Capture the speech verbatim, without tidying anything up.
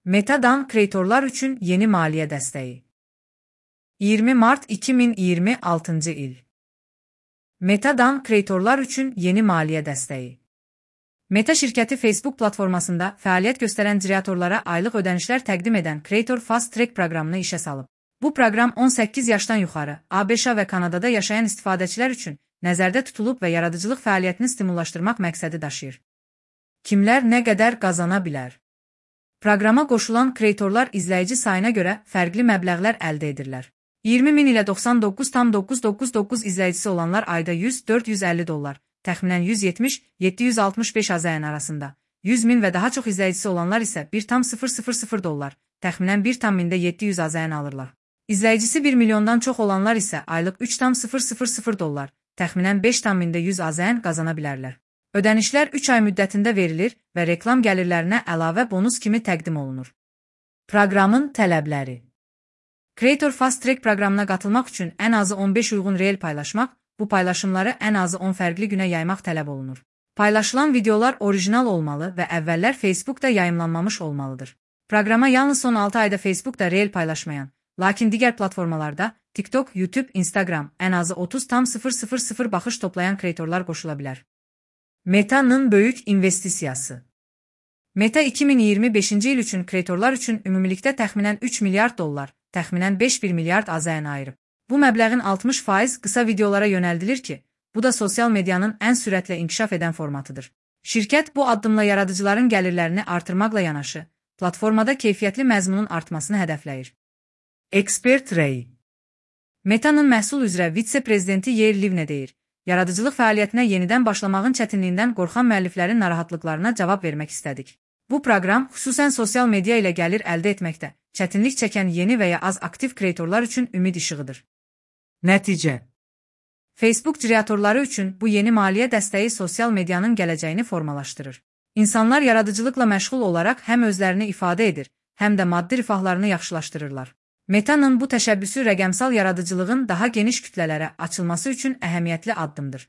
Meta'dan kreatorlar üçün yeni maliyyə dəstəyi. iyirmi mart iki min iyirmi altıncı il. Meta'dan kreatorlar üçün yeni maliyyə dəstəyi. Meta şirkəti Facebook platformasında fəaliyyət göstərən kreatorlara aylıq ödənişlər təqdim edən Creator Fast Track proqramını işə salıb. Bu proqram on səkkiz yaşdan yuxarı, ABŞ və Kanadada yaşayan istifadəçilər üçün nəzərdə tutulub və yaradıcılıq fəaliyyətini stimullaşdırmaq məqsədi daşıyır. Kimlər nə qədər qazana bilər? Proqrama qoşulan kreatorlar izləyici sayına görə fərqli məbləğlər əldə edirlər. iyirmi min ilə doxsan doqquz tam doqquz yüz doqquz doqquz izləyicisi olanlar ayda yüz dörd yüz əlli dollar, təxminən yüz yetmiş yeddi yüz altmış beş AZN arasında, yüz min və daha çox izləyicisi olanlar isə bir tam sıfır sıfır sıfır dollar, təxminən bir tam mində yeddi yüz AZN alırlar. İzləyicisi bir milyondan çox olanlar isə aylıq üç tam sıfır sıfır sıfır dollar, təxminən beş tam mində yüz AZN qazana bilərlər. Ödənişlər üç ay müddətində verilir və reklam gəlirlərinə əlavə bonus kimi təqdim olunur. Proqramın tələbləri. Creator Fast Track proqramına qatılmaq üçün ən azı on beş uyğun reel paylaşmaq, bu paylaşımları ən azı on fərqli günə yaymaq tələb olunur. Paylaşılan videolar orijinal olmalı və əvvəllər Facebookda yayımlanmamış olmalıdır. Proqrama yalnız son altı ayda Facebookda reel paylaşmayan, lakin digər platformalarda TikTok, YouTube, Instagram ən azı otuz tam sıfır sıfır sıfır baxış toplayan kreatorlar qoşula bilər. Meta'nın böyük investisiyası. Meta iki min iyirmi beşinci il üçün kreatorlar üçün ümumilikdə təxminən üç milyard dollar, təxminən beş bir milyard AZN ayırıb. Bu məbləğin altmış faiz qısa videolara yönəldilir ki, bu da sosial medianın ən sürətlə inkişaf edən formatıdır. Şirkət bu addımla yaradıcıların gəlirlərini artırmaqla yanaşı, platformada keyfiyyətli məzmunun artmasını hədəfləyir. Ekspert Ray. Meta'nın məhsul üzrə vitse-prezidenti Yair Livne deyir, yaradıcılıq fəaliyyətinə yenidən başlamağın çətinliyindən qorxan müəlliflərin narahatlıqlarına cavab vermək istədik. Bu proqram xüsusən sosial media ilə gəlir əldə etməkdə çətinlik çəkən yeni və ya az aktiv kreatorlar üçün ümid işığıdır. Nəticə. Facebook kreatorları üçün bu yeni maliyyə dəstəyi sosial medianın gələcəyini formalaşdırır. İnsanlar yaradıcılıqla məşğul olaraq həm özlərini ifadə edir, həm də maddi rifahlarını yaxşılaşdırırlar. Meta'nın bu təşəbbüsü rəqəmsal yaradıcılığın daha geniş kütlələrə açılması üçün əhəmiyyətli addımdır.